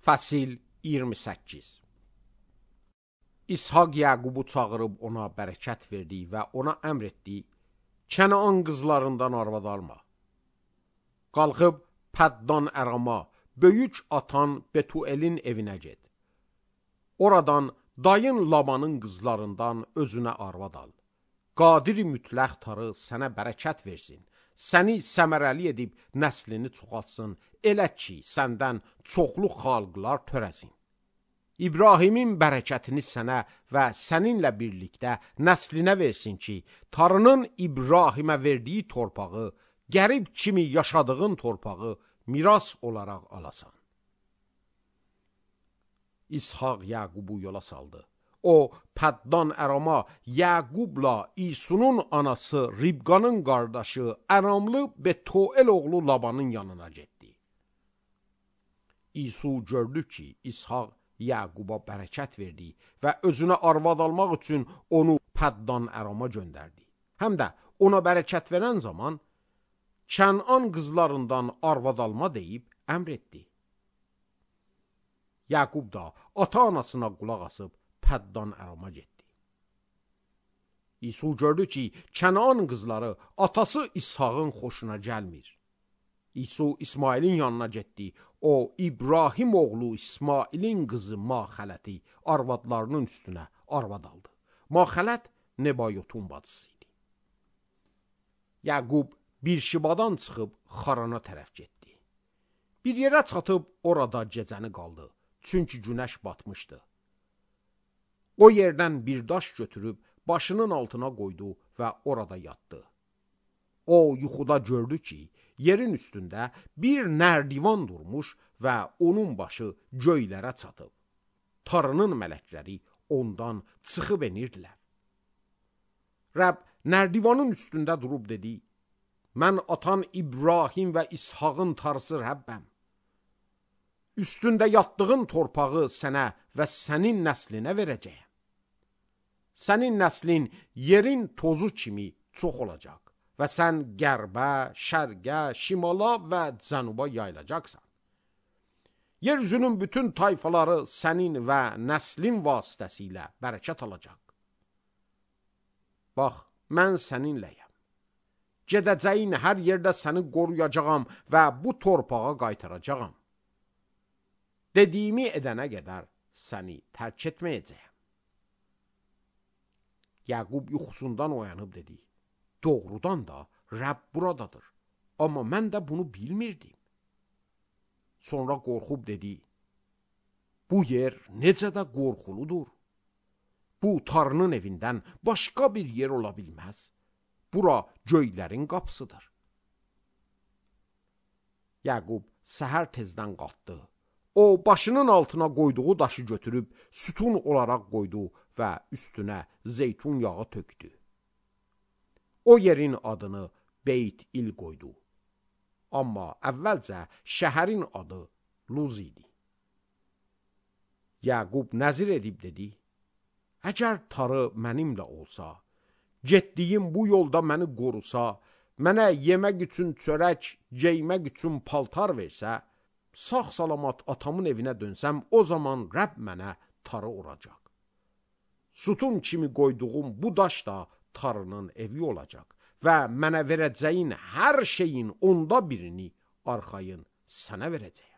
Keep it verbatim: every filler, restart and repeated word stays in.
Fəsil iyirmi səkkiz. İshak Yaqubu çağırıb ona bərəkət verdi və ona əmr etdi: Kənaan qızlarından arvad alma. Qalxıb Pəddan Ərama, böyük atan Betuelin evinə get. Oradan dayın Labanın qızlarından özünə arvad al. Qadiri mütləq tarı sənə bərəkət versin, səni səmərəli edib nəslini çoxaltsın, elə ki, səndən çoxlu xalqlar törəsin. İbrahimin bərəkətini sənə və səninlə birlikdə nəslinə versin ki, tarının İbrahimə verdiyi torpağı, qərib kimi yaşadığın torpağı miras olaraq alasan. İshak Yaqubu yola saldı. O, Pəddan Ərama, Yaqubla İsunun anası Ribqanın qardaşı Əramlı Betuel oğlu Labanın yanına getdi. İsu gördü ki, İshak Yaquba bərəkət verdi və özünə arvad almaq üçün onu Pəddan Ərama göndərdi. Həm də ona bərəkət verən zaman Kənan qızlarından arvad alma deyib əmr etdi. Yaqub da ata-anasına qulaq asıb Pəddan Ərama getdi. İsu gördü ki, Kənan qızları atası İshakın xoşuna gəlmir. İsu İsmailin yanına getdi. O, İbrahim oğlu İsmailin qızı Maxələti arvadlarının üstünə arvad aldı. Maxələt Nebayotun bacısı idi. Yaqub Birşibadan çıxıb Xarana tərəf getdi. Bir yerə çatıb orada gecəni qaldı. Çünki günəş batmışdı. O yerdən bir daş götürüb başının altına qoydu və orada yatdı. O yuxuda gördü ki, yerin üstündə bir nərdivan durmuş və onun başı göylərə çatıb. Tarının mələkləri ondan çıxıb enirdilər. Rəbb nərdivanın üstündə durub dedi: Mən atan İbrahim və İshakın tarısı Rəbbəm. Üstündə yatdığın torpağı sənə və sənin nəslinə verəcəyəm. Sənin nəslin yerin tozu kimi çox olacaq və sən qərbə, şərqə, şimala və cənuba yayılacaqsan. Yeryüzünün bütün tayfaları sənin və nəslin vasitəsilə bərəkət alacaq. Bax, mən səninləyəm. Gedəcəyin hər yerdə səni qoruyacağam və bu torpağa qaytaracağam. Dediyimi edənə qədər səni tərk etməyəcəyəm. Yaqub yuxusundan oyanıb dedi: Doğrudan da Rəbb buradadır, amma mən də bunu bilmirdim. Sonra qorxub dedi: Bu yer necə də qorxuludur. Bu tarının evindən başqa bir yer ola bilməz. Bura göylərin qapısıdır. Yaqub səhər tezdən qalxdı. O, başının altına qoyduğu daşı götürüb sütun olaraq qoydu və üstünə zeytun yağı tökdü. O yerin adını Beyt-İl qoydu. Amma əvvəlcə şəhərin adı Luz idi. Yaqub nəzir edib dedi: Əgər tarı mənimlə olsa, getdiyim bu yolda məni qorusa, mənə yemək üçün çörək, geymək üçün paltar versə, sağ-salamat atamın evinə dönsəm, o zaman Rəbb mənə tarı olacaq. Sütun kimi qoyduğum bu daş da tarının evi olacaq və mənə verəcəyin hər şeyin onda birini arxayın sənə verəcək.